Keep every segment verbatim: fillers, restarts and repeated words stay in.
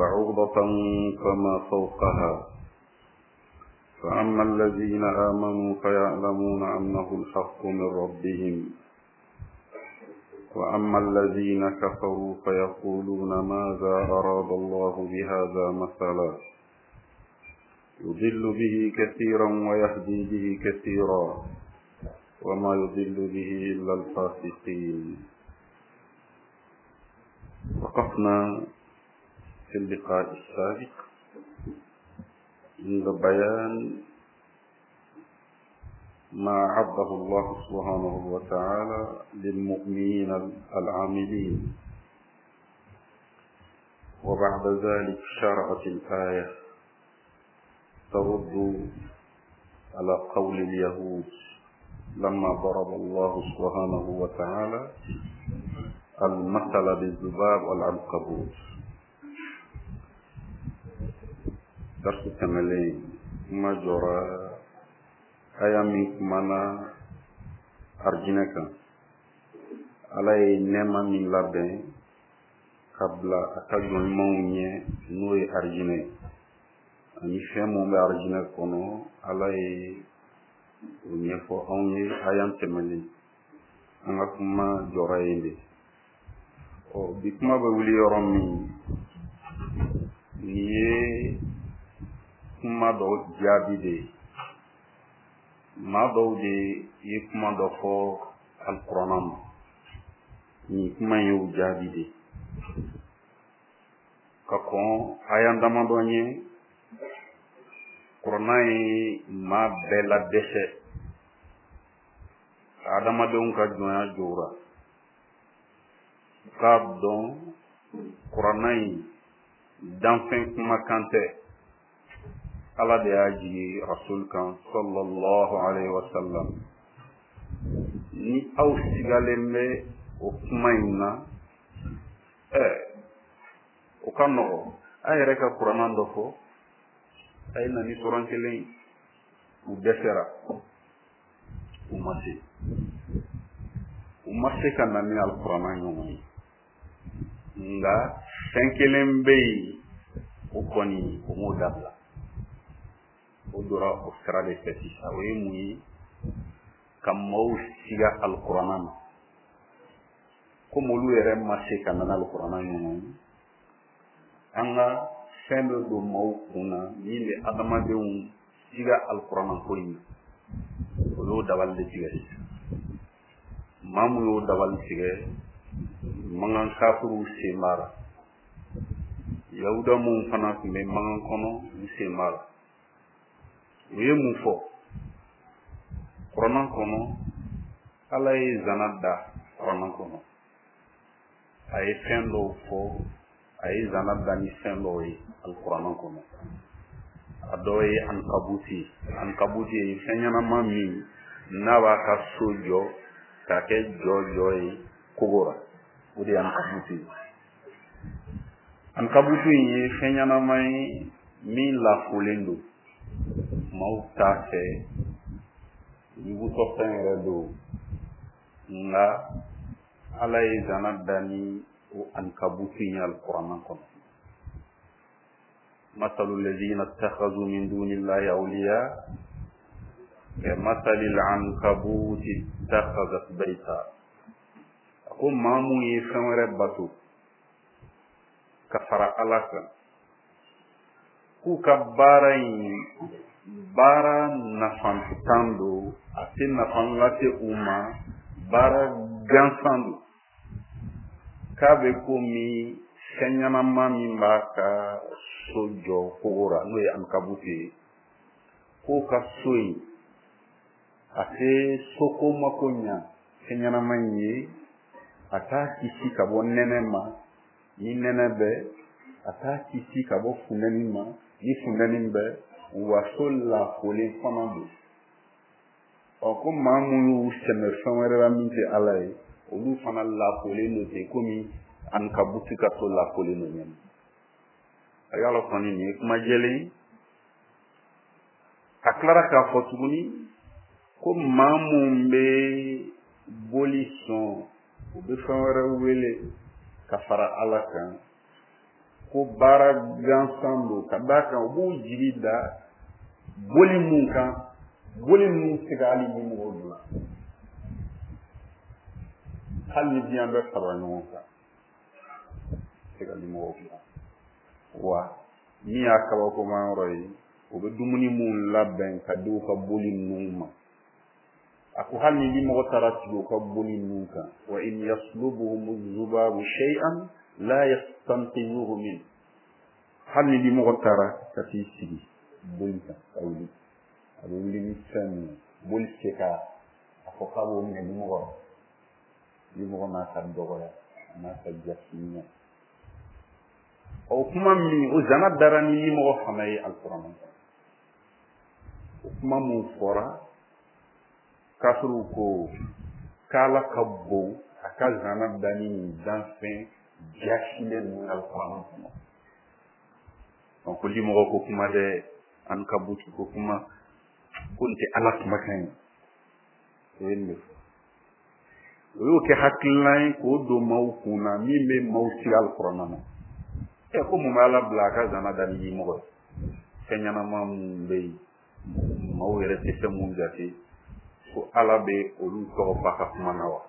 بعوضة فما فوقها. فأما الذين آمنوا فيعلمون أنه الحق من ربهم، وأما الذين كفروا فيقولون ماذا أراد الله بهذا مثلا يضل به كثيرا ويهدي به كثيرا وما يضل به إلا الفاسقين. وقفنا في اللقاء السابق عند بيان ما أعده الله سبحانه وتعالى للمؤمنين العاملين، وبعد ذلك شرعت الآية ترد على قول اليهود لما ضرب الله سبحانه وتعالى المثل بالذباب والعنكبوت. درس تملين ما جرى aya min kumana arijinɛ kan, Ala ye nɛɛma min labɛn ka bila a ka jɔn ɲumanw ɲɛ, n'o ye arijinɛ ye, ani fɛn mun bɛ arijinɛ kɔnɔ, Ala ye o ɲɛfɔ anw ye aya tɛmɛnen. An ka kuma jɔra yen de. Ɔ bi kuma bɛ wuli yɔrɔ min, nin ye kuma dɔ jaabi de ye. Maa dɔw de ye kuma dɔ fɔ alikuranna ma, nin kuma in y'o jaabi de ye. Ka kɔn aya damadɔ ɲɛ, kuranna ye maa bɛɛ la dɛsɛ ka adamadenw ka jɔnya jɔra. U k'a dɔn kuranna in danfɛn kumakan tɛ, Ala de y'a jigi rasul kan sallallahu alaihi wa sallam. Ni aw sigalen bɛ o kuma in na, ɛ o ka nɔgɔ, a yɛrɛ ka kuranna dɔ fɔ, a ye na ni suran kelen ye. U dɛsɛra, u ma se, u ma se ka na ni alikuranna ɲɔgɔn ye. Nka fɛn kelen bɛ yen, o kɔni o m'o dabila, o dora o sira de fɛ sisan. O ye mun ye? Ka maaw siga alikuranna ma. Komi olu yɛrɛ ma se ka na n'alikuranna ɲɔgɔn ye, an ka fɛn dɔ don maaw kun na min bɛ adamadenw siga alikuranna ko in na, o y'o dabali de tigɛ sisan. Maa mun y'o dabali tigɛ, mankan kafiriw sen b'a la, yahuda minnu fana tun bɛ mankan kɔnɔ, u sen b'a la. U ye mun fɔ kuranna kɔnɔ? Ala ye zana da kuranna kɔnɔ, a ye fɛn dɔw fɔ, a ye zana da ni fɛn dɔw ye alikuranna kɔnɔ. A dɔ ye ankabuti. Ankabuti ye fɛn ɲɛnama min n'a b'a ka so jɔ k'a kɛ jɔ jɔ ye kogo la, o de ye ankabuti ye. Ankabuti in ye fɛn ɲɛnama ye min lafolen don, maaw t'a fɛ, yugutɔ fɛn yɛrɛ don. Nka Ala ye zana da ni o ankabuti in ye alikuranna kɔnɔ. Masalu lazina ittakhadhu min dunillahi awliya ka masalil ankabuti ittakhadhat bayta. A ko maa mun ye fɛn wɛrɛ bato ka fara Ala kan, k'u ka baara in baara nafantan don, a tɛ nafa lase u ma, baara gansan don. K'a bɛ komi fɛn ɲɛnama min b'a ka so jɔ kogo la, n'o ye ankabuti ye, k'o ka so in a tɛ soko mako ɲa fɛn ɲɛnama in ye, a t'a kisi ka bɔ nɛnɛ ma ni nɛnɛ bɛ, a t'a kisi ka bɔ funtɛni ma ni funtɛni bɛ, wa so lafolen fana don. Ɔ ko maa mun y'u sɛmɛ fɛn wɛrɛ la min tɛ Ala ye, olu fana lafolen don ten komi ankabuti ka so lafolen don ɲɛna. A y'a kɔni nin ye kuma jɛlen ye. A tilara k'a fɔ tuguni ko maa mun bɛ boli sɔn, u bɛ fɛn wɛrɛ wele ka fara Ala kan, Ko baara gansan don, ka d'a kan u b'u jigi da boli mun kan, boli ninnu tɛ se ka hali limɔgɔw dilan, hali ni diɲɛ bɛɛ farala ɲɔgɔn kan, tɛ se ka limɔgɔw dilan. Wa min y'a kabakoma yɔrɔ ye, u bɛ dumuni mun labɛn ka di u ka boli ninnu ma, a ko hali ni limɔgɔ taara sigi u ka boli ninnu kan, wa in yaslubuhum zubabu shay'an la yastanqidhuhu min, hali ni limɔgɔ taara ka t'i sigi boli kan ka wuli, a bɛ wuli ni fɛn min ye, boli tɛ se ka a fɔ k'a b'o minɛ limɔgɔ la. Limɔgɔ n'a ka dɔgɔya, a n'a ka jasinya. O kuma min, o zana dara ni limɔgɔ fana ye alikuranɛ kɔnɔ. O kuma mun fɔra, kafiriw ko k'Ala ka bon a ka zana da ni nin danfɛn jasilen ninnu alikuranɛ kɔnɔ. Donc ko limɔgɔ ko kuma dɛ, an ka butu ko kuma, ko nin tɛ Ala kumakan ye. O ye nin de fɔ. O y'o kɛ hakilina ye k'o don maaw kun na min bɛ maaw sigi alikuranɛ na. Ɛ ko mun bɛ Ala bila a ka zana da ni limɔgɔ ye? Fɛn ɲɛnama mun bɛ yen, maaw yɛrɛ tɛ fɛn mun jate, ko Ala bɛ olu tɔgɔ fɔ a ka kuma na wa?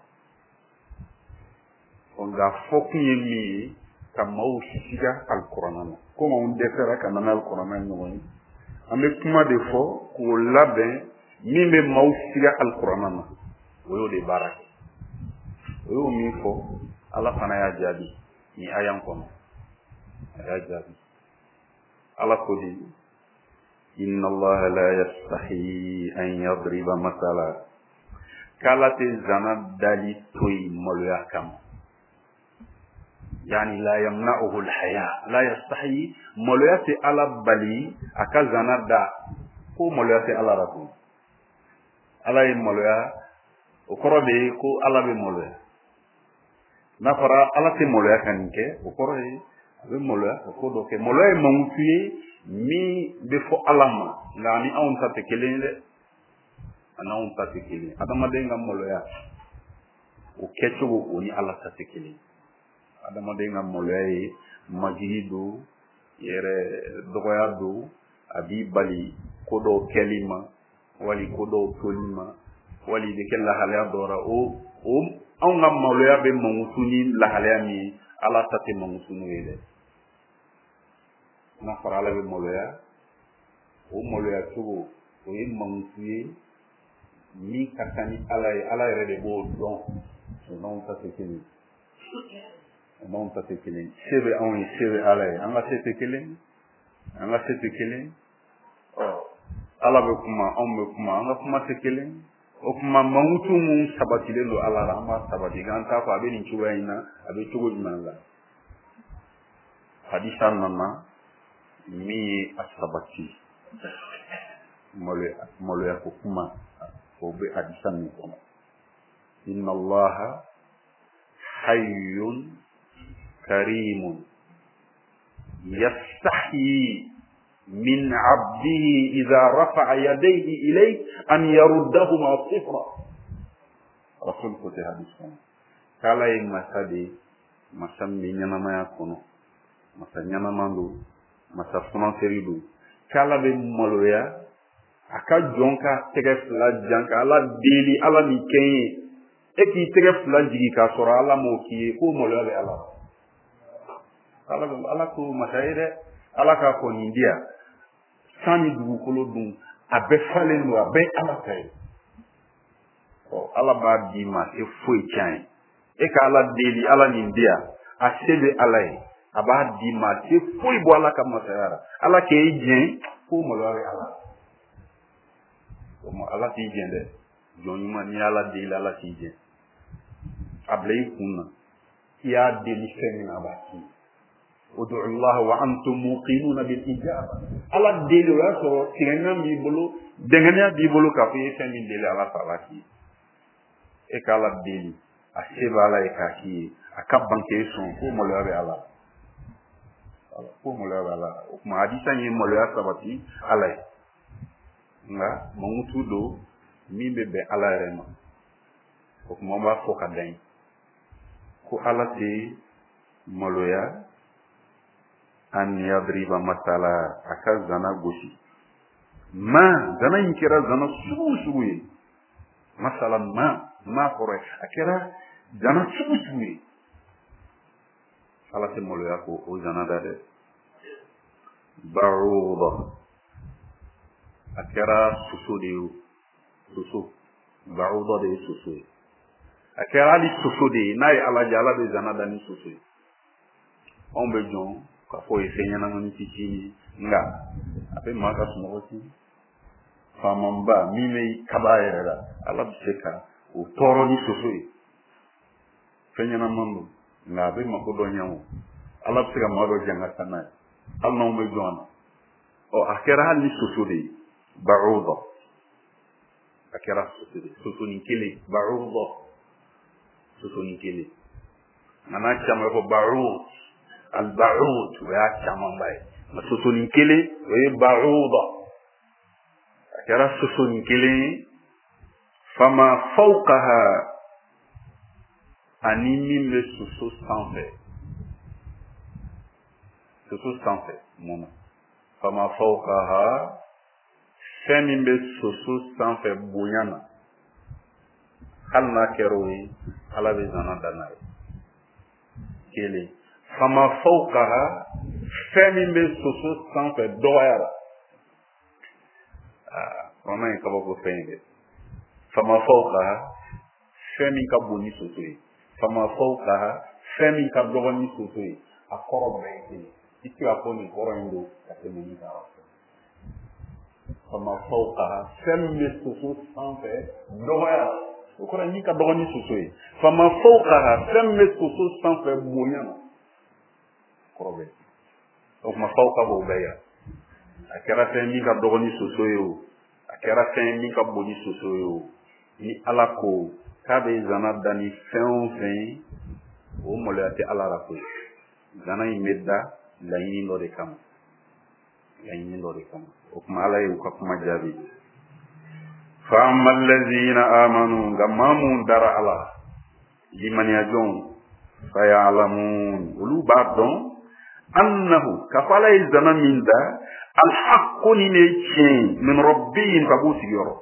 Nka fɔkun ye min ye, ka maaw siga alikuranɛ na. Komi anw dɛsɛra ka na n'alikuranɛ ɲɔgɔn ye, an bɛ kuma de fɔ k'o labɛn min bɛ maaw siga alikuranɛ na, o y'o de baara kɛ. O y'o min fɔ, Ala fana y'a jaabi nin aya kɔnɔ, a y'a jaabi. Ala ko di, inna Allaha la yastahi an yadriba masala, k'Ala tɛ zana dali to yen maloya kama. Yani la yamna'uhu al-haya, la yastahi, maloya tɛ Ala bali a ka zana da, ko maloya tɛ Ala la koyi. Ala ye maloya, o kɔrɔ de ye ko Ala bɛ maloya. N'a fɔra Ala tɛ maloya ka nin kɛ, o kɔrɔ ye a bɛ maloya ka ko dɔ kɛ. Maloya ye mankutu ye min bɛ fɔ Ala ma, nka ani anw ta tɛ kelen ye dɛ. Ani anw ta tɛ kelen ye. Adamaden ka maloya, o kɛcogo o ni Ala ta tɛ kelen ye. Adamaden ka maloya ye majigi don, yɛrɛ dɔgɔya don, a b'i bali ko dɔw kɛli ma, wali ko dɔw toli ma, wali i bɛ kɛ lahalaya dɔ la. O o anw ka maloya bɛ mankutu ni lahalaya min ye, Ala ta tɛ mankutu n'o ye dɛ. N'a fɔra Ala bɛ maloya, o maloya cogo o ye mankutu ye min ka kan ni Ala ye, Ala yɛrɛ de b'o dɔn. O n'anw ta tɛ kelen ye. O n'anw ta tɛ kelen ye. Se bɛ anw ye, se bɛ Ala ye. An ka se tɛ kelen, an ka se tɛ kelen. Ɔ Ala bɛ kuma, anw bɛ kuma, an ka kuma tɛ kelen. O kuma mankutu mun sabatilen don Ala la, an b'a sabati, k'an t'a fɔ a bɛ nin cogoya in na, a bɛ cogo jumɛn la. Hadisa nana min ye a sabati, maloya maloya ko kuma, o bɛ hadisa min kɔnɔ. Inna Allaha hayyun karimun yastahyi min abdihi idha rafa'a yadayhi ilayhi an yaruddahuma sifra. Rasul ko tɛ hadis kɔnɔ k'Ala ye masa de ye, masa min bɛ ɲɛnamaya kɔnɔ, masa ɲɛnama don, masa funanseri don, k'Ala bɛ maloya a ka jɔn ka tɛgɛ fila jan ka Ala deli, Ala nin kɛ n ye, e k'i tɛgɛ fila jigin k'a sɔrɔ Ala m'o k'i ye, k'o maloya bɛ Ala la. Ala Ala ko masa ye dɛ, Ala k'a fɔ nin di yan, san ni dugukolo dun a bɛɛ falen don, a bɛɛ Ala ta ye. Ɔ Ala b'a d'i ma, e foyi tiɲɛ ye, e ka Ala deli, Ala nin di yan, a se bɛ Ala ye, a b'a d'i ma, a tɛ foyi bɔ Ala ka masaya la. Ala k'e jɛn, k'o maloya bɛ Ala. O ma Ala t'i jɛn dɛ, jɔn ɲuman n'i y'Ala deli, Ala t'i jɛn. A bila i kun na, i y'a deli fɛn min na, a b'a k'i ye. Ud'u Allah wa antum muqinuna bil ijaba. Ala deli, o y'a sɔrɔ tigɛnna b'i bolo, dɛngɛnɛya b'i bolo k'a fɔ i ye fɛn min deli Ala fɛ, a b'a k'i ye. E ka Ala deli, a se bɛ Ala ye k'a k'i ye, a ka ban k'e sɔn, k'o maloya bɛ Ala. Ko maloya bɛ Ala. O tuma hadisa in ye maloya sabati Ala ye. Nka mankutu don min bɛ bɛn Ala yɛrɛ ma. O tuma an b'a fɔ ka dan yen ko Ala tɛ maloya An yadriba masala, a ka zana gosi. Ma zana in kɛra zana sugu o sugu ye. Masala ma, ma kɔrɔ ye a kɛra zana sugu sugu ye. Ala tɛ maloya ko o zana da dɛ. Ba'uda, a kɛra soso de ye o, soso. Ba'uda de ye soso ye. A kɛra hali soso de ye, n'a ye Ala ja, Ala bɛ zana da ni soso ye. Anw bɛ jɔn k'a fɔ o ye fɛn ɲɛnamani fitinin ye, nka a bɛ maa ka sunɔgɔ tiɲɛ. Faamaba min bɛ kaba yɛrɛ la, Ala bɛ se ka o tɔɔrɔ ni soso ye. Fɛn ɲɛnaman don, nka a bɛ mako dɔ ɲɛ o. Ala bɛ se ka maa dɔ janga n'a ye, hali n'anw bɛ jɔn a na. Ɔ, a kɛra hali ni soso de ye, ba'uda. A kɛra soso de ye, sosonin kelen, ba'uda, sosonin kelen. Nka n'a caman fɔ ba'ud, al-ba'ud, o y'a camanba ye. Nka sosonin kelen, o ye ba'uda. A kɛra sosonin kelen ye, fama fawqaha, ani min bɛ soso sanfɛ. Soso sanfɛ, mun na? Fama fawqaha, fɛn min bɛ soso sanfɛ bonya na, hali n'a kɛra o ye, Ala bɛ zana da n'a ye. Kelen. Fama fawqaha, fɛn min bɛ soso sanfɛ dɔgɔya la. Aa, kɔnɔ ye kabako fɛn ye dɛ. Fama fawqaha, fɛn min ka bon ni soso ye. Fama fawqaha, fɛn min ka dɔgɔ ni soso ye. A kɔrɔ bɛɛ ye kelen. I tɛ se k'a fɔ nin kɔrɔ in don ka tɛmɛ nin kan. Fama fawqaha, fɛn min bɛ soso sanfɛ dɔgɔya la, o kɔrɔ min ka dɔgɔ ni soso ye. Fama fawqaha, fɛn min bɛ soso sanfɛ bonya na, kɔrɔ bɛɛ. O tuma fawqa b'o bɛɛ yira. A kɛra fɛn min ka dɔgɔ ni soso ye o, a kɛra fɛn min ka bon ni soso ye o, ni Ala ko k'a bɛ zana da ni fɛn o fɛn ye, o maloya tɛ Ala la koyi. Zana in bɛ da laɲini dɔ de kama, laɲini dɔ de kama. O tuma Ala ye u ka kuma jaabi. Fa amma allazina amanu, nka maa mun dara Ala, limaniyajɔnw, fa ya'lamun, olu b'a dɔn, annahu, k'a fɔ Ala ye zana min da, alhaqqu, nin de ye tiɲɛ ye, min rabbihim, ka b'u sigiyɔrɔ.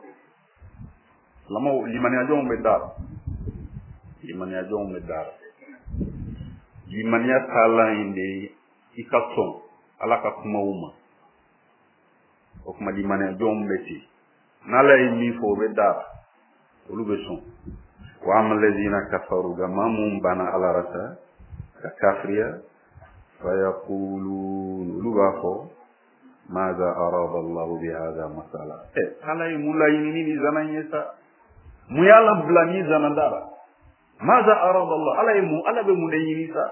Silamɛw, limaniyajɔnw bɛ da la, limaniyajɔnw bɛ da la. Limaniya taalan in de ye i ka sɔn Ala ka kumaw ma. O tuma limaniyajɔnw bɛ ten, n'Ala ye min fɔ o bɛ da la, olu bɛ sɔn. Wa amma allazina kafaru, nka maa mun banna Ala la sa ka kafiriya, fa yaqulun, olu b'a fɔ, maza arada Allahu bi hadha masala. Ɛ, Ala ye mun laɲini ni nin zana in ye sa? Mun y'a labila ni zana da la? Maza arada Allah, Ala ye mun, Ala bɛ mun de ɲini sa?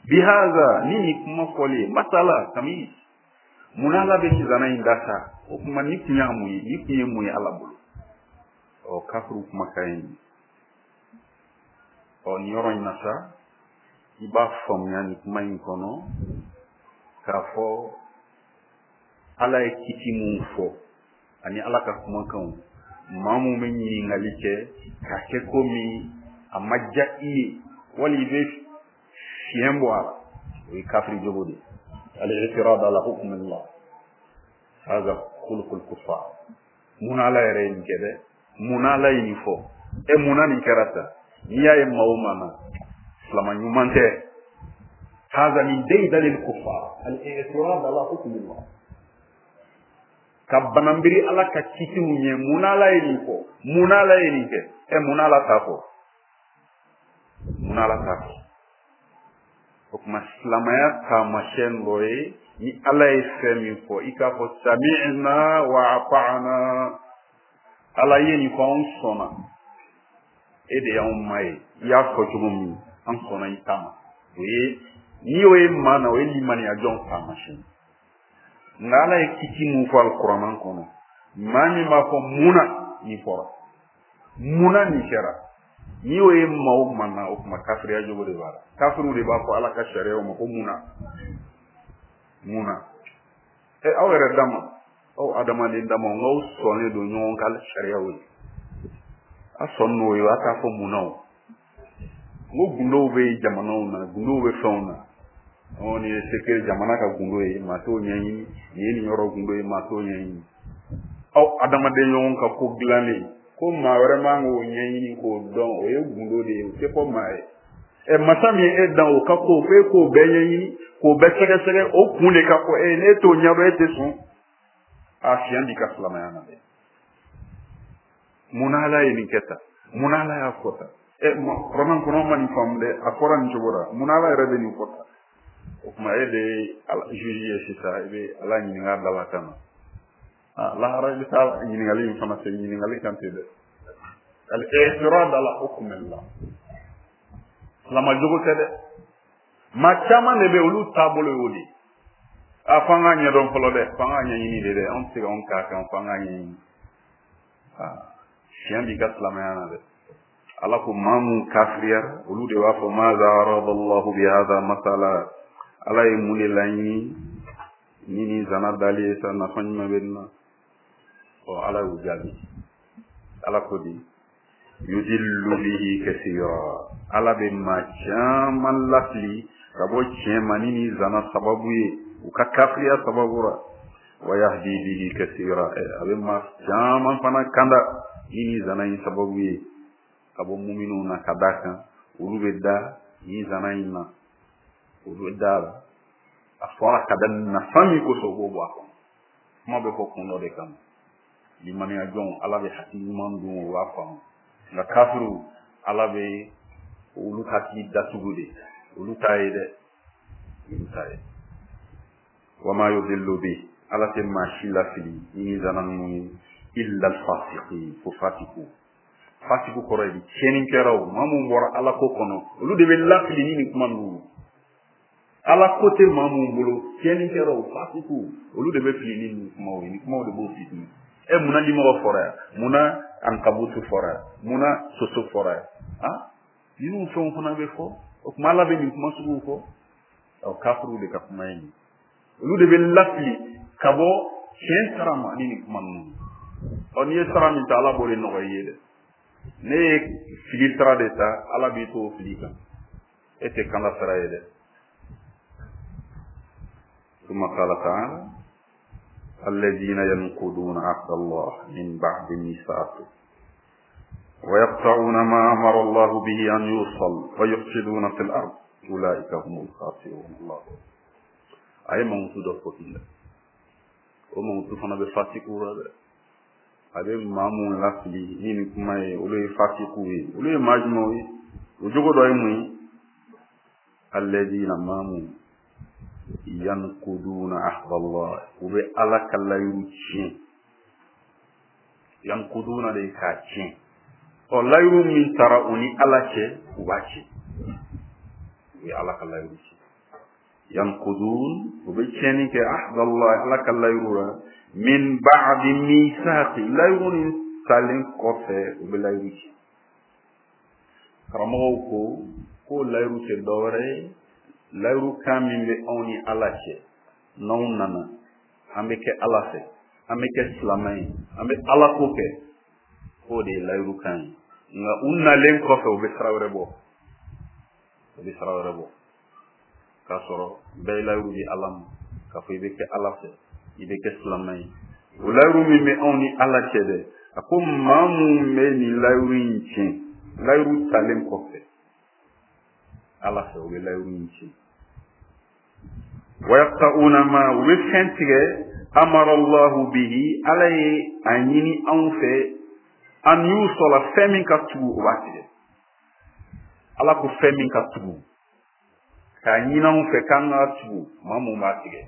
Bi hadha, ni nin kuma fɔlen ye, masala kami, mun Ala bɛ nin zana in da sa? O kuma ni kun y'a mun ye, ni kun ye mun ye Ala bolo? Ɔ, kafiriw kumakan ye nin. Ɔ, nin yɔrɔ in na sa, i b'a faamuya nin kuma in kɔnɔ k'a fɔ Ala ye kiti mun fɔ ani Ala ka kumakanw, maa mun bɛ ɲininkali kɛ k'a kɛ komi a ma diya i ye, wali i bɛ fiɲɛ bɔ a la, o ye kafiri jogo de ye. Al-i'tirad ala hukm Allah, hadha khuluqul kuffar. Mun Ala yɛrɛ ye nin kɛ dɛ? Mun Ala ye nin fɔ? E, mun na nin kɛra tan? N'i y'a ye maa o maa na, silama ɲuman tɛ. Hadha min daydanil kuffar, al-i'tirad ala hukm Allah. Ka bananbiri Ala ka kitiw ɲɛ, mun Ala ye nin fɔ? Mun Ala ye nin kɛ? Ɛ, mun Ala t'a fɔ? Mun Ala t'a fɔ? O tuma silamɛya taamasiyɛn dɔ ye, ni Ala ye fɛn min fɔ, i k'a fɔ sami'na wa ata'na. Ala ye nin fɔ, anw sɔnna. E de y'anw ma ye, i y'a fɔ cogo min, an sɔnna i ta ma. O ye, n'i y'o ye maa na, o ye limaniyajɔn taamasiyɛn. Nka Ala ye kiti mun fɔ alikuranɛ kɔnɔ, maa min b'a fɔ mun na nin fɔra, mun na nin kɛra, n'i y'o ye maa o maa na, o tuma kafiriya jogo de b'a la. Kafiriw de b'a fɔ Ala ka sariyaw ma ko mun na, mun na. Ɛ, aw yɛrɛ dama, aw adamaden dama, n'aw sɔnnen don ɲɔgɔn ka sariyaw ye, a sɔn n'o ye, a t'a fɔ mun na o. N ko gundow bɛ jamanaw na, gundow bɛ fɛnw na. Ɔ nin ye secret jamana ka gundo ye, maa t'o ɲɛɲini. Nin ye nin yɔrɔ gundo ye, maa t'o ɲɛɲini. Aw adamaden ɲɔgɔn ka ko dilannen ko maa wɛrɛ man k'o ɲɛɲini k'o dɔn, o ye gundo de ye, o tɛ fɔ maa ye. Ɛ masa min ye e dan, o ka ko f'e k'o bɛɛ ɲɛɲini k'o bɛɛ sɛgɛsɛgɛ, o kun de ka fɔ e ye, n'e t'o ɲɛdɔn e tɛ sɔn. A fiɲɛ b'i ka silamɛya na dɛ. Mun na Ala ye nin kɛ tan? Mun na Ala y'a fɔ tan? Ɛ kuranɛ kɔnɔ ma nin faamu dɛ, a fɔra nin cogo la, mun na Ala yɛrɛ bɛ nin fɔ tan? O tuma e de ye juge ye sisan, i bɛ Ala ɲininka a dalakan na. Ah, lahara i bɛ taa ɲininkali in fana se ɲininkali kan ten dɛ. Al-i'tirad ala hukmillah. Silama jogo tɛ dɛ. Maa caman de bɛ olu taabolo y'o de ye. A f'an k'a ɲɛdɔn fɔlɔ dɛ, f'an k'a ɲɛɲini de dɛ, anw tɛ se k'anw k'a kan, f'an k'a ɲɛɲini. Ah, fiɲɛ b'i ka silamɛya na dɛ. Ala ko maa mun kafiriyara, olu de b'a fɔ maza aradallahu bi hadha masala. Ala ye mun de laɲini ni nin zana dali ye sa, nafa jumɛn bɛ nin na? Ɔ Ala y'u jaabi. Ala ko di yudillu bihi kathira. Ala bɛ maa caman lafili ka bɔ tiɲɛ ma ni nin zana sababu ye, u ka kafiriya sababu la. Wa yahdi bihi kathira. A bɛ maa caman fana kanda ni nin zana in sababu ye ka bɔ muminw na, ka d'a kan olu bɛ da nin zana in na, olu bɛ da la. A fɔra ka da nafa min kosɔn, u b'o bɔ a kɔnɔ. Kuma bɛ fɔ kun dɔ de kama. Limaniya jɔnw, Ala bɛ hakili ɲuman dun, o b'a faamu. Nka kafiriw, Ala bɛ olu hakili datugu de, olu t'a ye dɛ, olu t'a ye. Wama yudillu bi, Ala tɛ maa si lafili ni zana ninnu ye, illa al-fasiqin, fo fasiku. Fasiku kɔrɔ ye di, tiɲɛnikɛlaw, maa mun bɔra Ala ko kɔnɔ, olu de bɛ lafili ni nin kuma ninnu ye. Ala ko tɛ maa mun bolo, tiɲɛnikɛlaw, fasiku, olu de bɛ fili ni nin kumaw ye, nin kumaw de b'o fitini. E munna limɔgɔ fɔra yan? Munna ankabutu fɔra yan? Munna soso fɔra yan? Ah, ninnu fɛnw fana bɛ fɔ. O tuma Ala bɛ nin kuma suguw fɔ. Ɔ kafiriw de ka kuma ye nin. Olu de bɛ lafili ka bɔ tiɲɛ sara ma ni nin kuma ninnu. Ɔ n'i ye sara min ta, Ala b'o de nɔgɔya i ye dɛ. Ne ye fili sira de ta, Ala b'i to o fili kan. E tɛ kanda sira ye dɛ. ثم قال تعالى الذين ينقضون عهد الله من بعد ميثاقه ويقطعون ما أمر الله به أن يوصل ويفسدون في الأرض أولئك هم الخاسرون. الله أي موجود فوقنا وموجود فنا بفاسقوا هذا أبي مامون لافلي نين كماي ولي فاسقوا ولي ماجموي وجوجو دايموي الذين مامون ينقضون عهد الله وبألا كلا يروتشين ينقضون لكاتشين أو لا يرومين ترى أني ألا شيء وباشي وألا كلا يروتشين ينقضون وبيتشيني كعهد الله ألا كلا يرورا من بعد ميثاق لا يروني سالين كوفي وبلا يروتشين كراموكو كو لا يروتشين دوري layiru kan min bɛ anw ni Ala cɛ, n'anw nana an bɛ kɛ Ala fɛ, an bɛ kɛ silamɛ ye, an bɛ Ala ko kɛ, k'o de ye layiru kan ye. Nka u nalen kɔfɛ, u bɛ sira wɛrɛ bɔ, u bɛ sira wɛrɛ bɔ, k'a sɔrɔ bɛɛ ye layiru di Ala ma, k'a fɔ i bɛ kɛ Ala fɛ, i bɛ kɛ silamɛ ye. O layiru min bɛ anw ni Ala cɛ dɛ, a ko maa mun bɛ nin layiru in tiɲɛ, layiru talen kɔfɛ Ala fɛ, u bɛ layiru in tiɲɛ. ويقطعون ما وفنتك أمر الله به عليه أن يني أنفه أن يوصل فمن كتبو واتي على كو فمن كتبو كان يني أنفه كان كتبو ما مو ماتي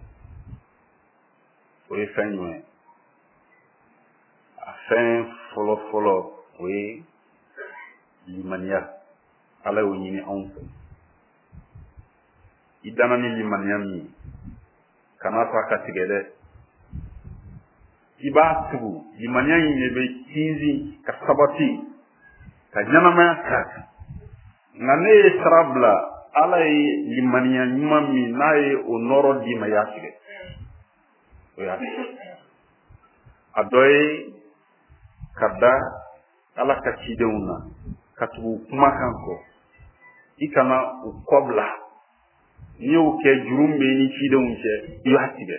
ويفن فن فلو فلو وي limaniya ala y'o ɲini anw fɛ. I danna ni limaniya min ye, kana to a ka tigɛ dɛ. I b'a tugu, limaniya in de bɛ sinsin ka sabati ka ɲɛnamaya k'a kan. Nka ne ye sira bila, ala ye limaniya ɲuman min n'a ye o nɔrɔ d'i ma, i y'a tigɛ. O y'a tigɛ. A dɔ ye ka da ala ka cidenw na, ka tugu u kumakan kɔ. I kana u kɔ bila. N'i y'o kɛ juru min bɛ i ni cidenw cɛ i b'a tigɛ.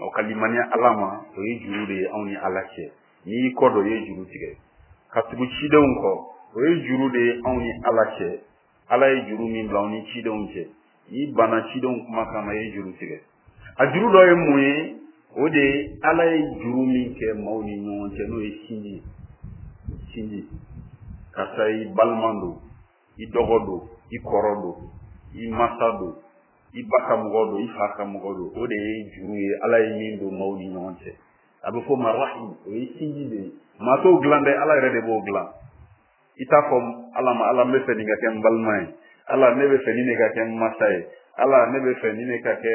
O ka limaniya Ala ma o ye juru de ye anw ni Ala cɛ. N'i y'i kɔ don i ye juru tigɛ. Ka tugu cidenw kɔ o ye juru de ye anw ni Ala cɛ. Ala ye juru min bila anw ni cidenw cɛ. N'i banna cidenw kumakan ma i ye juru tigɛ. A juru dɔ ye mun ye? O de ye Ala ye juru min kɛ maaw ni ɲɔgɔn cɛ n'o ye sinji ye. Sinji. Karisa i balima don, i dɔgɔ don, i kɔrɔ don, i masa don, i ba ka mɔgɔ don, i fa ka mɔgɔ don. O de ye juru ye Ala ye min don maaw ni ɲɔgɔn cɛ. A bɛ fɔ o ma rahim, o ye sinji de ye. Maa t'o dilan dɛ, Ala yɛrɛ de b'o dilan. I t'a fɔ Ala ma Ala n bɛ fɛ nin ka kɛ n balima ye, Ala ne bɛ fɛ nin de ka kɛ n masa ye, Ala ne bɛ fɛ nin de ka kɛ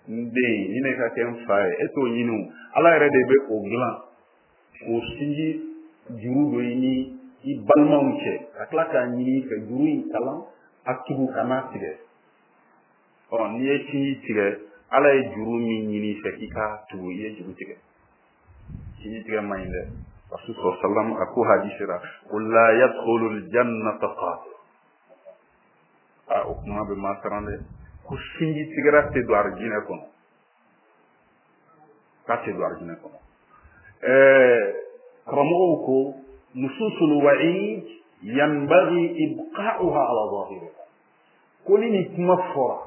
n den ye, nin de ka kɛ n fa ye. E t'o ɲini o. Ala yɛrɛ de bɛ o dilan k'o sinji juru don i ni i balimaw cɛ, ka tila k'a ɲini i fɛ juru in kalan a tugu ka n'a tigɛ. Ɔ n'i ye sinji tigɛ, Ala ye juru min ɲini i fɛ k'i k'a tugu, i ye juru tigɛ. Sinji tigɛ man ɲi dɛ. Rasul sallam a ko hadisi la ko la yadkhulul jannata qati. A o kuma bɛ maa siran dɛ. Ko sinji tigɛra tɛ don arijinɛ kɔnɔ. K'a tɛ don arijinɛ kɔnɔ. Ɛɛ karamɔgɔw ko nususul wa'id yanbaghi ibqa'uha ala zahiriha. Ko ni nin kuma fɔra,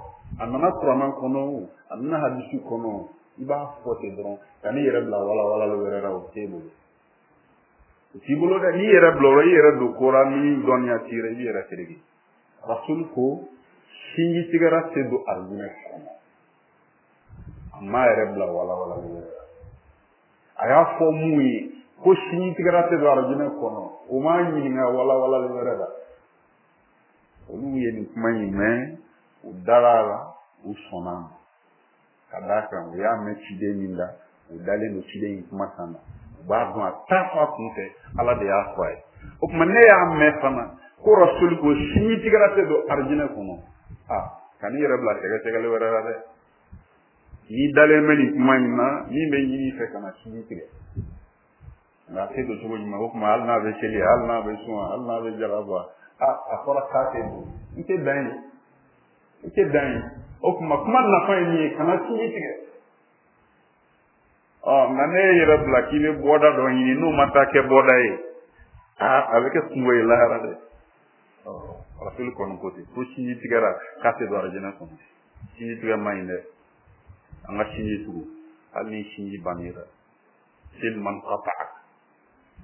a nana kuranɛ kɔnɔ o, a nana hadisi kɔnɔ o, i b'a fɔ ten dɔrɔn ka n'i yɛrɛ bila walawalali wɛrɛ la, o t'e bolo. O t'i bolo dɛ. N'i yɛrɛ bila o la, i yɛrɛ don ko la min dɔnniya t'i yɛrɛ, i b'i yɛrɛ tereke. Rasul ko sinji tigɛra tɛ don arijinɛ kɔnɔ. A m'a yɛrɛ bila walawalali wɛrɛ la. A y'a fɔ mun ye ko sinji tigɛra tɛ don arijinɛ kɔnɔ, o m'a ɲininka walawalali wɛrɛ la. Olu ye nin kuma in mɛn, u dara a la, u sɔnna a ma. Ka d'a kan u y'a mɛn ciden min da, u dalen don ciden in kumakan na. U b'a dɔn a t'a fɔ a kun fɛ, Ala de y'a fɔ a ye. O tuma ne y'a mɛn fana ko Rasul ko sinji tigɛra tɛ don arijinɛ kɔnɔ. A kan'i yɛrɛ bila sɛgɛsɛgɛli wɛrɛ la dɛ. N'i dalen bɛ nin kuma in na, min bɛ ɲini i fɛ ka na sinji tigɛ. Nka a tɛ don cogo jumɛn? O tuma hali n'a bɛ seli, hali n'a bɛ sun, hali n'a bɛ jaka bɔ, a a fɔra k'a tɛ don. I tɛ dan yen. I tɛ dan yen. O tuma kuma nafa ye min ye, kana sinji tigɛ. Ɔ nka ne ye yɛrɛ bila k'i bɛ bɔda dɔ ɲini n'o ma taa kɛ bɔda ye, aa a bɛ kɛ kungo ye lahara dɛ. Ɔ Rasul kɔni ko ten ko sinji tigɛra k'a tɛ don arijinɛ kɔnɔ. Sinji tigɛ man ɲi dɛ. An ka sinji tugu hali ni sinji bann'i la. Sil man qata'ak.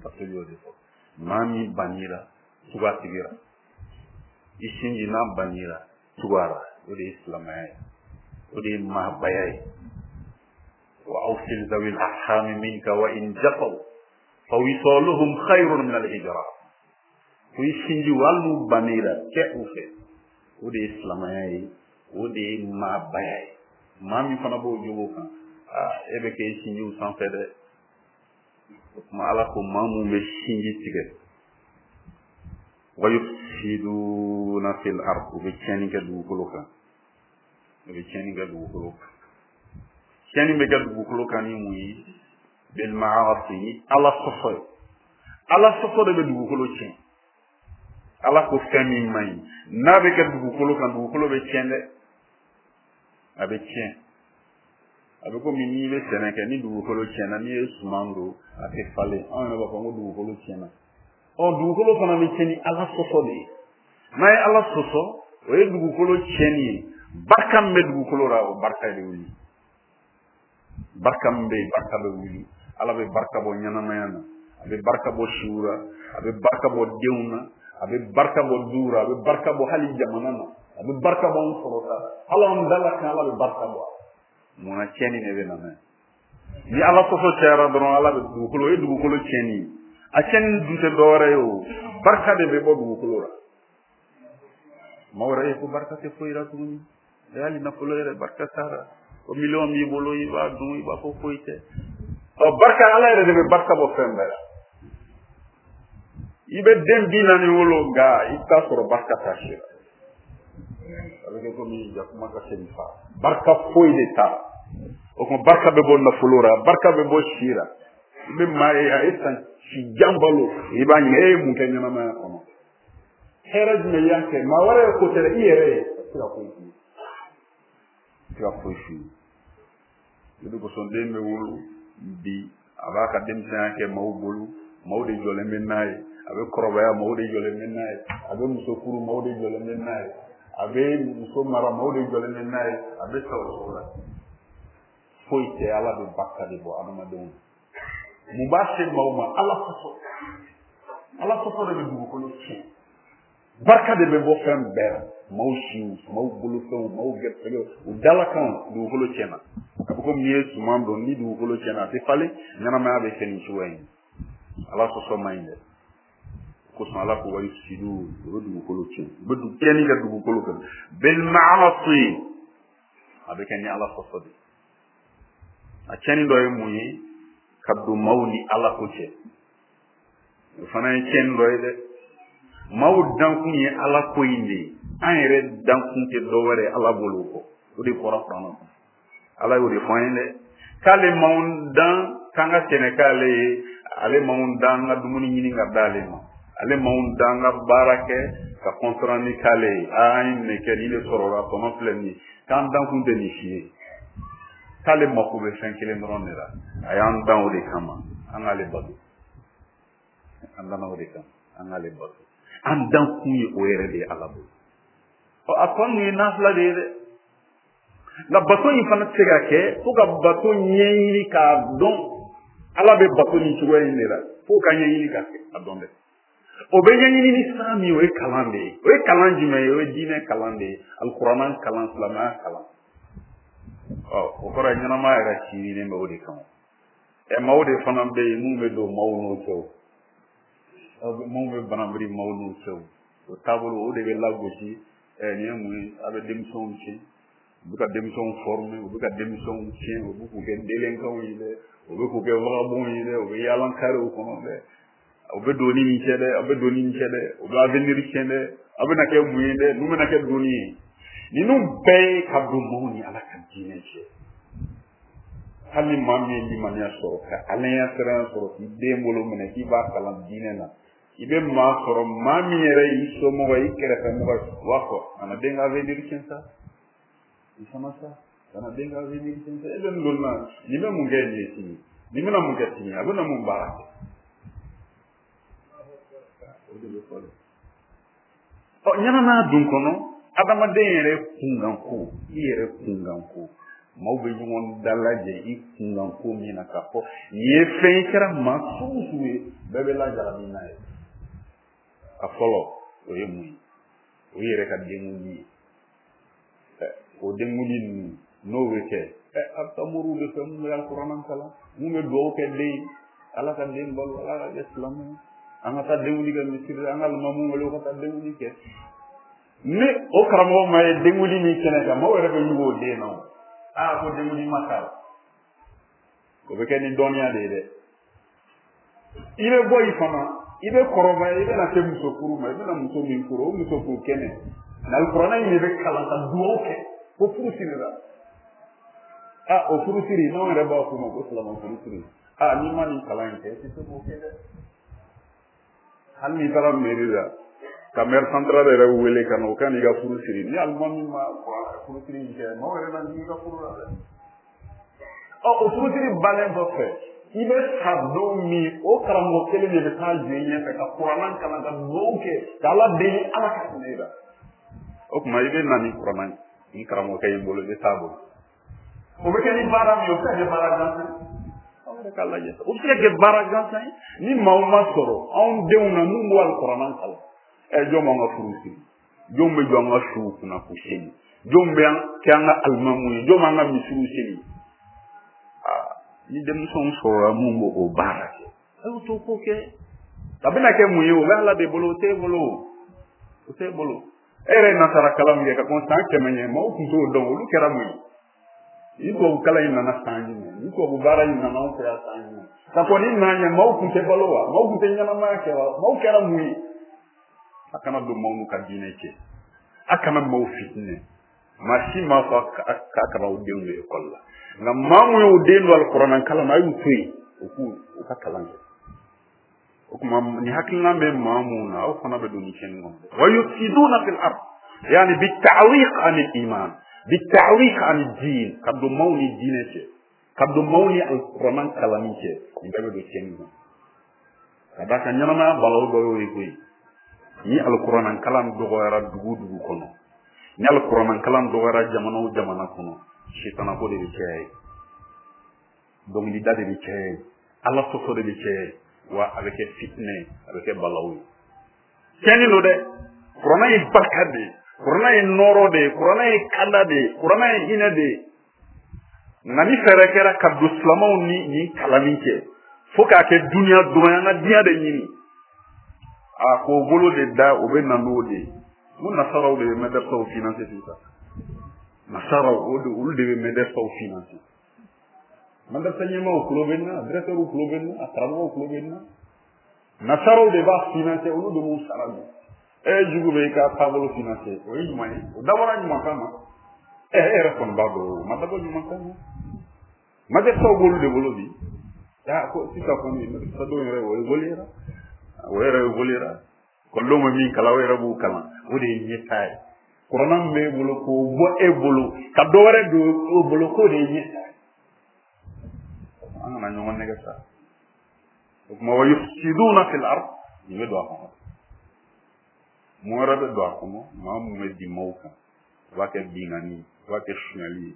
Rasul y'o de fɔ. Maa min bann'i la, tugu a tigi la. I sinji n'a bann'i la, tugu a la. O de ye silamɛya ye. O de ye maabaya ye. Wa awsil zawil arhami minka wa in jafaw fa wisaluhum khayrun min al-hijra. Ko i sinji hali n'u bann'i la, kɛ u fɛ. O de ye silamɛya ye. O de ye maabaya ye. Maa min fana b'o jogo kan, aa e bɛ kɛ i sinjiw sanfɛ dɛ. O tuma Ala ko maa mun bɛ sinji tigɛ, wa yufsiduna fil ard, u bɛ tiɲɛni kɛ dugukolo kan. U bɛ tiɲɛni kɛ dugukolo kan. Tiɲɛni bɛ kɛ dugukolo kan ni mun ye? Bil ma'asi, ni Ala sɔsɔ ye. Ala sɔsɔ de bɛ dugukolo tiɲɛ. Ala ko fɛn min man ɲi, n'a bɛ kɛ dugukolo kan, dugukolo bɛ tiɲɛ dɛ. A bɛ tiɲɛ. A bɛ komi n'i bɛ sɛnɛ kɛ, ni dugukolo tiɲɛna, n'i ye suman don, a tɛ falen. Anw yɛrɛ b'a fɔ ko dugukolo tiɲɛna. Ɔ dugukolo fana bɛ tiɲɛ ni Ala sɔsɔ de ye. N'a ye Ala sɔsɔ, o ye dugukolo tiɲɛni ye. Barika min bɛ dugukolo la, o barika de bɛ wuli. Barika min bɛ yen, barika bɛ wuli. Ala bɛ barika bɔ ɲɛnamaya na, a bɛ barika bɔ siw la, a bɛ barika bɔ denw na, a bɛ barika bɔ duw la, a bɛ barika bɔ hali jamana na, a bɛ barika bɔ an sɔrɔ ta, hali an dala kan Ala bɛ barika bɔ. Munna tiɲɛni de bɛ na n'a ye? Ni Ala sɔsɔ cayara dɔrɔn, Ala bɛ dugukolo, o ye dugukolo tiɲɛni ye. A tiɲɛni dun tɛ dɔwɛrɛ ye o, barika de bɛ bɔ dugukolo la. Maa wɛrɛ ye ko barika tɛ foyi la tuguni. Hali nafolo yɛrɛ barika t'a la. O miliyɔn b'i bolo, i b'a dun, i b'a fɔ foyi tɛ. Ɔ barika, Ala yɛrɛ de bɛ barika bɔ fɛn bɛɛ la. I bɛ den bi naani wolo, nka i bɛ taa sɔrɔ barika t'a si la. A bɛ kɛ komi jakuma ka se nin fa. Barika foyi de t'a la. O tuma barika bɛ bɔ nafolo la, barika bɛ bɔ si la. I bɛ maa ye a ye san si jan balo, i b'a ɲininka e ye mun kɛ ɲɛnamaya kɔnɔ? Hɛrɛ jumɛn i y'a kɛ? Maa wɛrɛ ye ko tɛ dɛ, i yɛrɛ ye. se ka foyi f'i ye i tɛ se ka foyi f'i ye o de kosɔn den bɛ wolo bi a b'a ka denmisɛnya kɛ maaw bolo maaw de jɔlen bɛ n'a ye a bɛ kɔrɔbaya maaw de jɔlen bɛ n'a ye a bɛ muso furu maaw de jɔlen bɛ n'a ye a bɛ muso mara maaw de jɔlen bɛ n'a ye a bɛ sa o cogo la foyi tɛ ala bɛ barika de bɔ adamadenw na mun b'a se maaw ma ala sɔsɔ ala sɔsɔ de bɛ dugukolo tiɲɛ barika de bɛ bɔ fɛn bɛɛ la maaw siw maaw bolofɛnw maaw gɛrɛsɛgɛw u dalakanw dugukolo tiɲɛna a bɛ komi n'i ye suman don ni dugukolo tiɲɛna a tɛ falen ɲɛnamaya bɛ kɛ nin cogoya in ala sɔsɔ man ɲi dɛ kosɔn ala ko wa yusidu u bɛ dugukolo tiɲɛ u bɛ tiɲɛni kɛ dugukolo kan bil ma'asi a bɛ kɛ ni ala sɔsɔ de a tiɲɛni dɔ ye mun ye ka don maaw ni ala ko cɛ o fana ye tiɲɛni dɔ ye dɛ maaw dankun ye ala ko in de ye an yɛrɛ dankun tɛ dɔ wɛrɛ ala bolo o kɔ o de fɔra kuranɛ kɔnɔ ala y'o de fɔ an ye dɛ k'ale m'anw dan k'an ka sɛnɛ k'ale ye ale m'anw dan an ka dumuni ɲini ka d'ale ma ale m'anw dan an ka baara kɛ ka kɔntɔrɔni k'ale ye aa an ye nin kɛ nin de sɔrɔla tɔnɔ filɛ nin ye k'an dankun tɛ nin si ye k'ale mako bɛ fɛn kelen dɔrɔn de la a y'an dan o de kama an k'ale bato an danna o de kama an k'ale bato an dankun ye o yɛrɛ de ye ala bolo ɔ a tɔ ninnu ye nafila de ye dɛ nka bato in fana tɛ se ka kɛ fo ka bato ɲɛɲini k'a dɔn ala bɛ bato nin cogoya in de la fo ka ɲɛɲini k'a a dɔn dɛ o bɛ ɲɛɲini ni sira min ye o ye kalan de ye o ye kalan jumɛn ye o ye diinɛ kalan de ye alikuranɛ kalan silamɛya kalan ɔ o kɔrɔ ye ɲɛnamaya yɛrɛ sinsinnen bɛ o de kan ɛ maaw de fana bɛ yen mun bɛ don maaw n'u cɛ o mun bɛ banabiri maaw n'u cɛ o taabolo o de bɛ lagosi ɛ nin ye mun ye a bɛ denmisɛnw tiɲɛ u bɛ ka denmisɛnw former u bɛ ka denmisɛnw tiɲɛ u bɛ k'u kɛ délinquants ye dɛ u bɛ k'u kɛ vagabonds ye dɛ u bɛ yaala karew kɔnɔ dɛ u bɛ don ni nin cɛ dɛ a bɛ don ni nin cɛ dɛ u bɛ avenir tiɲɛ dɛ a bɛna kɛ mun ye dɛ ninnu bɛna kɛ donni ye ninnu bɛɛ ye ka don maaw ni ala ka diinɛ cɛ hali ni maa min ye limaniya sɔrɔ ka alaya siranya sɔrɔ k'i den bolo minɛ k'i b'a kalan diinɛ na i bɛ maa sɔrɔ maa min yɛrɛ y'i somɔgɔ ye i kɛrɛfɛmɔgɔ ye u b'a fɔ kana den ka avenir tiɲɛ sa i fana sa kana den ka avenir tiɲɛ sa e bɛ nin don na nin bɛ mun kɛ nin ye sini nin bɛna mun kɛ sini a bɛna mun baara kɛ o de bɛ fɔ dɛ ɔ ɲɛnamaya dun kɔnɔ adamaden yɛrɛ kunkanko i yɛrɛ kunkanko maaw bɛ ɲɔgɔn dalajɛ i kunkanko min na k'a fɔ nin ye fɛn ye kɛra maa sugu sugu ye bɛɛ bɛ lajarabi n'a ye a fɔlɔ o ye mun ye o yɛrɛ ka denkundi ye o denkundi ninnu n'o bɛ kɛ ɛ a bɛ taa moriw de fɛ mun bɛ alikuranɛ kalan mun bɛ dugawu kɛ den ye ala ka den balo ala ka kɛ silamɛ ye an ka taa denkundi kɛ misiri la an ka limamu wele u ka taa denkundi kɛ ni o karamɔgɔ ma ye denkundi min kɛnɛ kan maaw yɛrɛ bɛ ɲugu o den na o aa ko denkundi ma k'a la o bɛ kɛ ni dɔnniya de ye dɛ i bɛ bɔ yen fana i bɛ kɔrɔbaya i bɛna se muso furu ma i bɛna muso min furu o muso furu kɛnɛ nka alikuranɛ in de bɛ kalan ka dugawu kɛ ko furu sirila aa o furu siri n'anw yɛrɛ b'a f'o ma ko silamɛ furu siri aa n'i ma nin kalan in kɛ i tɛ se k'o kɛ dɛ hali n'i taara mairie la ka maire central yɛrɛ wele ka na o ka n'i ka furu siri ni alimami ma furu siri in kɛ maaw yɛrɛ na jigin i ka furu la dɛ ɔ o furu siri bannen kɔfɛ i bɛ sa don min o karamɔgɔ kelen de bɛ taa jɔ i ɲɛfɛ ka kuranɛ kalan ka dugawu kɛ ka ala deli ala ka hinɛ i la o tuma i bɛ na ni kuranɛ ni karamɔgɔkɛ in bolo i bɛ taa bolo o bɛ kɛ ni baara min ye o bɛ se ka kɛ baara gansan ye aw yɛrɛ k'a lajɛ o bɛ se ka kɛ baara gansan ye ni maaw ma sɔrɔ anw denw na mun b'o alikuranɛ kalan ɛ jɔn b'an ka furu siri jɔn bɛ jɔ an ka suw kunna k'u seli jɔn bɛ kɛ an ka alimamu ye jɔn b'an ka misiw seli aa ni denmisɛnw sɔrɔla mun b'o o baara kɛ a y'o to k'o kɛ a bɛna kɛ mun ye o bɛ ala de bolo o t'e bolo o t'e bolo e yɛrɛ ye nasara kalan min kɛ ka kɔn san kɛmɛ ɲɛ maaw tun t'o dɔn olu kɛra mun ye ni tubabu kalan in nana san jumɛn ni tubabu baara in nana anw fɛ yan san jumɛn ka kɔn ni na ɲɛ maaw tun tɛ balo wa maaw tun tɛ ɲɛnamaya kɛ wa maaw kɛra mun ye a kana don maaw n'u ka diinɛ cɛ a kana maaw fitinɛ maa si m'a fɔ k'a kana aw denw don ekɔli la nka maa mun y'o den don alikuranɛ kalan na a y'u to yen u k'u u ka kalan kɛ o tuma nin hakilina bɛ maa mun na aw fana bɛ don nin tiɲɛni kɔnɔ wa yufsiduna fil ard Yani bita'wiq an al-iman, bita'wiq an ad-din, ka don maaw ni diinɛ cɛ, ka don maaw ni alikuranɛ kalanni cɛ, nin bɛɛ bɛ don tiɲɛni kɔnɔ. Ka d'a kan ɲɛnamaya balawu dɔ y'o ye koyi. Ni alikuranɛ kalan dɔgɔyara dugu o dugu kɔnɔ, ni alikuranɛ kalan dɔgɔyara jamana o jamana kɔnɔ, sitanako de bɛ caya yen, dɔnkilida de bɛ caya yen, ala sɔsɔ de bɛ caya yen, wa a bɛ kɛ fitinɛ ye, a bɛ kɛ balawu ye. Tiɲɛni don dɛ. Kuranɛ ye barika de ye, kuranɛ ye nɔɔrɔ de ye, kuranɛ ye kanda de ye, kuranɛ ye hinɛ de ye. Nka ni fɛɛrɛ kɛra ka don silamɛw ni nin kalanni cɛ fo k'a kɛ duniya dɔrɔn, an ka diɲɛ de ɲini, a k'o bolo de da, o bɛ na n'o de ye. N ko nasaraw de bɛ mɛdɛrisaw finanse sisan. Nasaraw, o de, olu de bɛ mɛdɛrisaw finanse. Mɛdɛrisa ɲɛmaaw tulo bɛ n na, directeurw tulo bɛ n na, a karamɔgɔw tulo bɛ n na. Nasaraw de b'a finanse, olu de b'u sara bi. E jugu bɛ i ka taabolo finanse, o ye ɲuman ye, o dabɔra ɲuman kama. Ɛ e yɛrɛ kɔni b'a dɔn, o ma dabɔ ɲuman kama. Mɛdɛrisaw b'olu de bolo bi. Ya ko sisan kɔni mɛdɛrisadenw yɛrɛ o évoluera, o yɛrɛ évoluera. Kɔlɔnw bɛ min kalan, o yɛrɛ b'o kalan, o de ye ɲɛtaa ye. Kuranɛ min b'e bolo k'o bɔ e bolo ka dɔ wɛrɛ don o bolo, k'o de ye ɲɛtaa ye. An kana ɲɔgɔn nɛgɛ sa. O tuma wa yufsiduna fil ard, nin bɛ don a kɔnɔ. Mun wɛrɛ bɛ don a kɔnɔ? Maa mun bɛ bin maaw kan, o b'a kɛ binkanni ye, o b'a kɛ sonyali ye,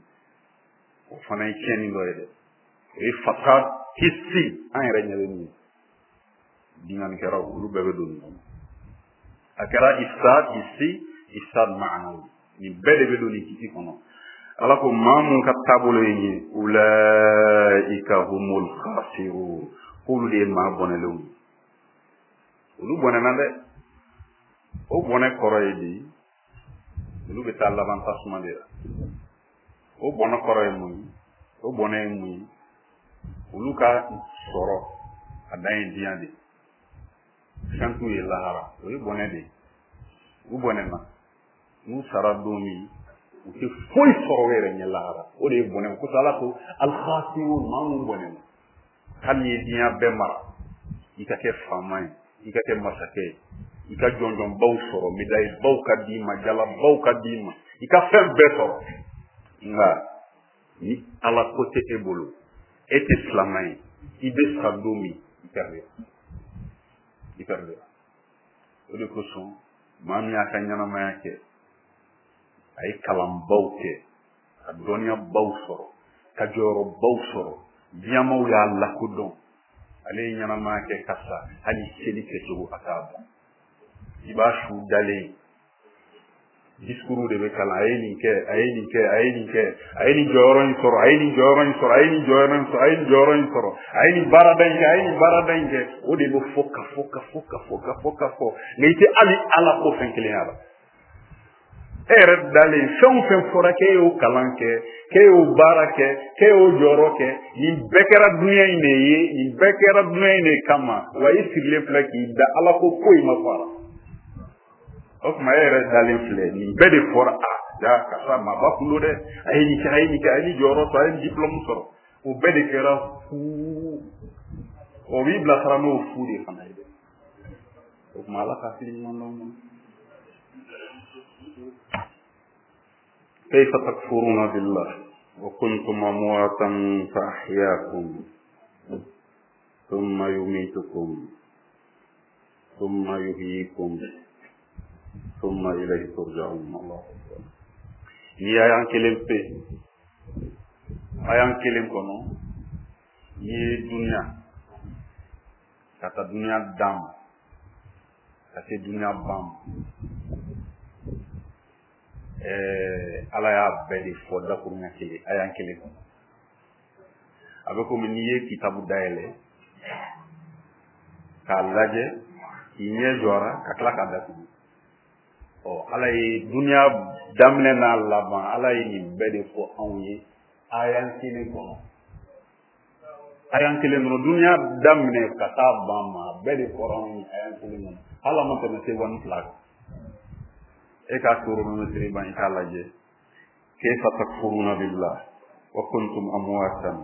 o fana ye tiɲɛni dɔ ye dɛ. O ye fasad hissi, an yɛrɛ ɲɛ bɛ min ye. Binkannikɛlaw, olu bɛɛ bɛ don nin kɔnɔ. A kɛra ifsad hissi, ifsad ma'anawi, nin bɛɛ de bɛ don nin kiti kɔnɔ. Ala ko maa mun ka taabolo ye nin ye, ulaika humul khasirun, k'olu de ye maa bɔnɛlenw ye. Olu bɔnɛna dɛ. O bɔnɛ kɔrɔ ye di? Olu bɛ taa laban tasuma de la. O bɔnɛ kɔrɔ ye mun ye? O bɔnɛ ye mun ye? Olu ka sɔrɔ a dan ye diɲɛ de ye, fɛn t'u ye lahara, o ye bɔnɛ de ye. U bɔnɛna, n'u sara don min, u tɛ foyi sɔrɔ u yɛrɛ ɲɛ lahara, o de ye bɔnɛ. O kosɔn Ala ko al-khasirun, maa mun bɔnɛna. Hali n'i ye diɲɛ bɛɛ mara, i ka kɛ faama ye, i ka kɛ masakɛ ye, i ka jɔnjɔnbaw sɔrɔ, médaillebaw ka d'i ma, jalabaw ka d'i ma, i ka fɛn bɛɛ sɔrɔ, nka ni Ala ko tɛ e bolo, e tɛ silamɛ ye, i bɛ sa don min, i perdira, i perdira. O de kosɔn maa min y'a ka ɲɛnamaya kɛ, a ye kalanbaw kɛ, ka dɔnniyabaw sɔrɔ, ka jɔyɔrɔbaw sɔrɔ, diɲɛmaw y'a lakodɔn, ale ye ɲɛnamaya kɛ ka sa, hali seli kɛcogo a t'a dɔn. I b'a su dalen, discours de bɛ kalan, a ye nin kɛ, a ye nin kɛ, a ye nin kɛ, a ye nin jɔyɔrɔ in sɔrɔ, a ye nin jɔyɔrɔ in sɔrɔ, a ye nin jɔyɔrɔ in sɔrɔ, a ye nin jɔyɔrɔ in sɔrɔ, a ye nin baarada in kɛ, a ye nin baarada in kɛ. O de bɛ fɔ ka fɔ ka fɔ ka fɔ ka fɔ ka fɔ, nka i tɛ hali Ala ko fɛn kelen y'a la. E yɛrɛ dalen, fɛn o fɛn fɔra k'e y'o kalan kɛ, k'e y'o baara kɛ, k'e y'o jɔyɔrɔ kɛ, nin bɛɛ kɛra dunuya in de ye, nin bɛɛ kɛra dunuya in de kama, wa i sigilen filɛ k'i da Ala ko foyi ma fɔ a la. O tuma e yɛrɛ dalen filɛ, nin bɛɛ de fɔra, a ja karisa maaba kun don dɛ, a ye nin kɛ, a ye nin kɛ, a ye nin jɔyɔrɔ sɔrɔ, a ye nin diplôme sɔrɔ, o bɛɛ de kɛra fu. O b'i bilasira n'o fu de fana ye dɛ. O tuma Ala ka hakili ɲuman d'aw ma. كيف تكفرون بالله وكنتم أمواتا فأحياكم ثم يميتكم ثم يحييكم ثم إليه ترجعون. الله أكبر. Ni y'an kelen pe, a y'an kelen kɔnɔ, n'i ye dunuya ka taa dunuya dan ma, ka se dunuya ban ma, ɛɛ Ala y'a bɛɛ de fɔ dakurunya kelen, a y'an kelen kɔnɔ. A bɛ komi n'i ye kitabu dayɛlɛ k'a lajɛ, k'i ɲɛ jɔra ka tila k'a datugu. Ɔ Ala ye dunuya daminɛ n'a laban, Ala ye nin bɛɛ de fɔ anw ye ayan kelen kɔnɔ. Ayan kelen kɔnɔ, dunuya daminɛ ka taa ban ma, a bɛɛ de fɔra anw ye ayan kelen kɔnɔ. Hali a ma tɛmɛ seconde fila kan. E k'a chronomètre ban, i k'a lajɛ. Kayfa takfuruna billah wa kuntum amwatan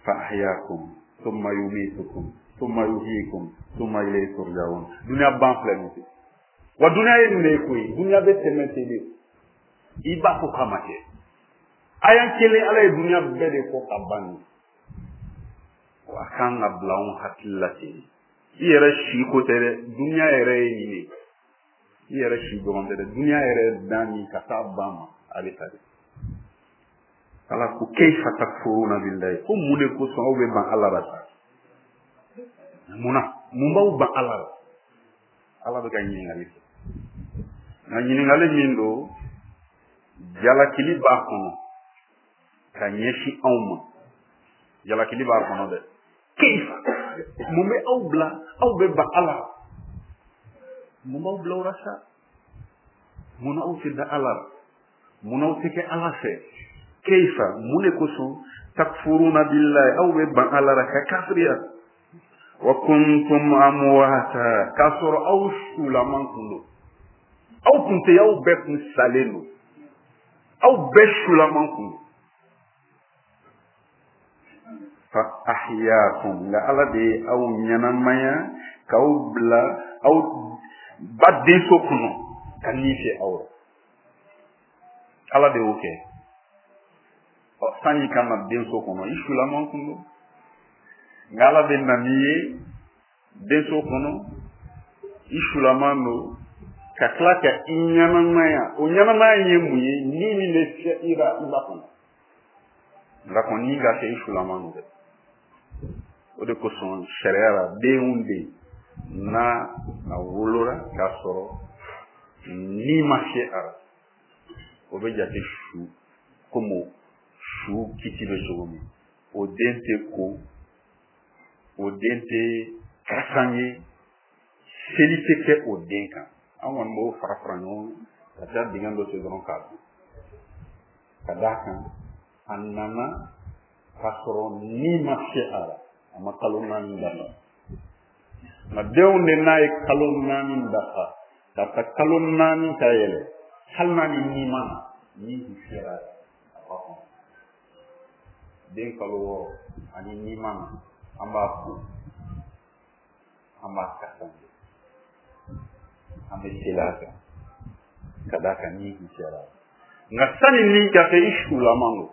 fa ahyaakum thumma yumitukum thumma yuhyikum thumma ilayhi turja'un. Dunuya ban filɛ nin ye. Wa dunuya ye nin de ye koyi, dunuya bɛ tɛmɛ ten de. I b'a fɔ k'a ma kɛ. Ayan kelen Ala ye duniya bɛɛ de fɔ ka ban nin. A kan ka bila anw hakili la ten. I yɛrɛ si ko tɛ dɛ, duniya yɛrɛ ye nin de. I yɛrɛ si dɔrɔn tɛ dɛ, duniya yɛrɛ dan nin ka taa ban ma a bɛ taa de. Ala ko kayfa takfuruna billahi, ko mun de kosɔn aw bɛ ban Ala la sa? Mun na? Mun b'aw ban Ala la? Ala bɛ ka ɲininkali kɛ. Nka ɲininkali min don, jalakili b'a kɔnɔ ka ɲɛsin anw ma. Jalakili b'a kɔnɔ dɛ. Kayfa, mun bɛ aw bila aw bɛ ban Ala la? Mun b'aw bila o la sa? Mun na aw tɛ da Ala la? Mun na aw tɛ kɛ Ala fɛ? Kayfa, mun de kosɔn takfuruna billahi, aw bɛ ban Ala la ka kafiriya? Wa kuntum amwata, k'a sɔrɔ aw sulaman kun don. Aw kun tɛ, aw bɛɛ kun salen don. Aw bɛɛ sulaman kun don. Fa ahyaakum, nka Ala de ye aw ɲɛnamaya k'aw bila aw ba denso kɔnɔ ka ni fɛ aw la. Ala de y'o kɛ. Ɔ, sanni ka na denso kɔnɔ, i sulaman kun don. Nka Ala bɛ na n'i ye denso kɔnɔ, i sulaman don, ka tila ka i ɲɛnamaya. O ɲɛnamaya in ye mun ye? Ni min bɛ fiyɛ i la, i b'a kɔnɔ. Nka kɔni ni ka kɛ i sulaman don dɛ. O de kosɔn sariya la, den o den n'a a wolola k'a sɔrɔ ni ma fiyɛ a la, o bɛ jate su komi su kiti bɛ cogo min. O den tɛ ko, o den tɛ kasan ye, seli tɛ kɛ o den kan. An kɔni b'o fara fara ɲɔgɔn kan ka taa dingɛ dɔ sen dɔrɔn k'a dun. Ka d'a kan a nana k'a sɔrɔ ni ma fiyɛ a la, a ma kalo naani dafa. Nka denw de n'a ye kalo naani dafa, ka taa kalo naani ka yɛlɛ, hali n'a ni ni ma na, ni kun fiyɛra a la, a b'a kɔnɔ. Den kalo wɔɔrɔ ani ni ma na, an b'a ko, an b'a kasan, an bɛ seli a kan ka d'a kan ni kun fiyɛra a la. Nka sani ni ka kɛ, i sulaman don.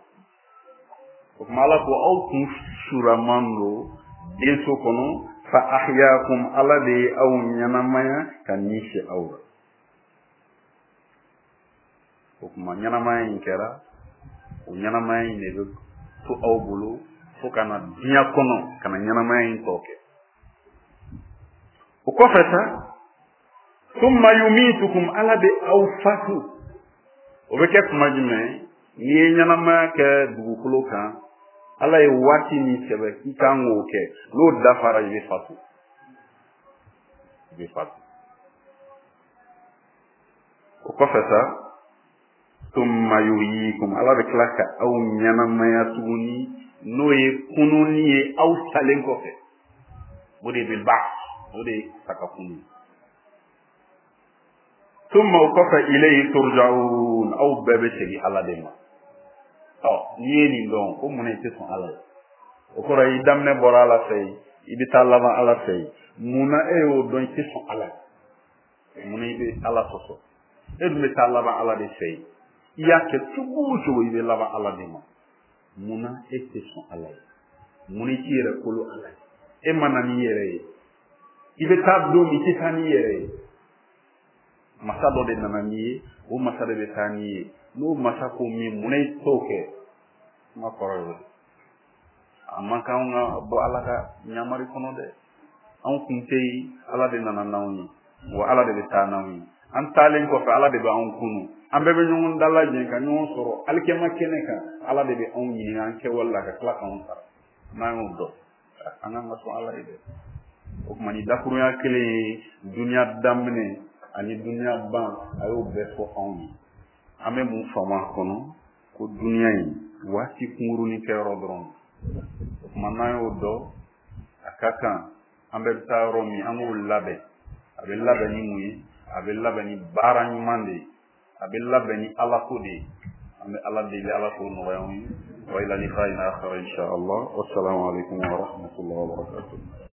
O tuma Ala ko aw kun sulaman don denso kɔnɔ. Fa ahyaakum, Ala de ye aw ɲɛnamaya ka ni fiyɛ aw la. O tuma ɲɛnamaya in kɛra, o ɲɛnamaya in de bɛ to aw bolo fo ka na diɲɛ kɔnɔ ka na ɲɛnamaya in tɔ kɛ. O kɔfɛ sa, thumma yumitukum, Ala bɛ aw fatu. O bɛ kɛ tuma jumɛn? N'i ye ɲɛnamaya kɛ dugukolo kan, Ala ye waati min sɛbɛn k'i kan k'o kɛ, n'o dafara i bɛ fatu. I bɛ fatu. O kɔfɛ sa, thumma yuhyikum, Ala bɛ tila ka aw ɲɛnamaya tuguni, n'o ye kununni ye aw salen kɔfɛ. O de bɛ ba, o de ye sa ka kunu ye. Thumma o kɔfɛ ilayhi turja'un, aw bɛɛ bɛ segin Ala de ma. Ɔ, n'i ye nin dɔn, ko mun na i tɛ sɔn Ala ye? O kɔrɔ i daminɛ bɔra Ala fɛ yen, i bɛ taa laban Ala fɛ yen. Mun na e y'o dɔn i tɛ sɔn Ala ye? Mun na i bɛ Ala sɔsɔ? E dun bɛ taa laban Ala de fɛ yen. I y'a kɛ cogo o cogo, i bɛ laban Ala de ma. Mun na e tɛ sɔn Ala ye? Mun na i t'i yɛrɛ kolo Ala ye? E ma na n'i yɛrɛ ye. I bɛ taa don min, i tɛ taa n'i yɛrɛ ye. Masa dɔ de nana n'i ye, o masa de bɛ taa n'i ye. N'o masa ko min, mun na i t'o kɛ? Kuma kɔrɔ ye o de. A man kan anw ka bɔ Ala ka ɲamari kɔnɔ dɛ. Anw kun tɛ yen, Ala de nana n'anw ye. Wa Ala de bɛ taa n'anw ye. An taalen kɔfɛ, Ala de bɛ anw kunu. An bɛɛ bɛ ɲɔgɔn dalajɛ ka ɲɔgɔn sɔrɔ alikiyama kɛnɛ kan. Ala de bɛ anw ɲininka an kɛwale la ka tila k'anw sara. N'an y'o dɔn, an kan ka sɔn Ala ye dɛ. O tuma ni dakurunya kelen ye duniya daminɛ ani duniya ban, a y'o bɛɛ fɔ anw ye. An bɛ mun faamu a kɔnɔ? Ko duniya in waati kunkurunin kɛyɔrɔ dɔrɔn. O tuma n'an y'o dɔn, a ka kan an bɛɛ bɛ taa yɔrɔ min, an k'o labɛn. A bɛ labɛn ni mun ye? A bɛ labɛn ni baara ɲuman de ye. A bɛ labɛn ni Ala ko de ye. An bɛ Ala deli, Ala k'o nɔgɔya anw ye. Wa ila liqa'in akhar insha Allah. Wassalamu alaikum wa rahmatullahi wa barakatuh.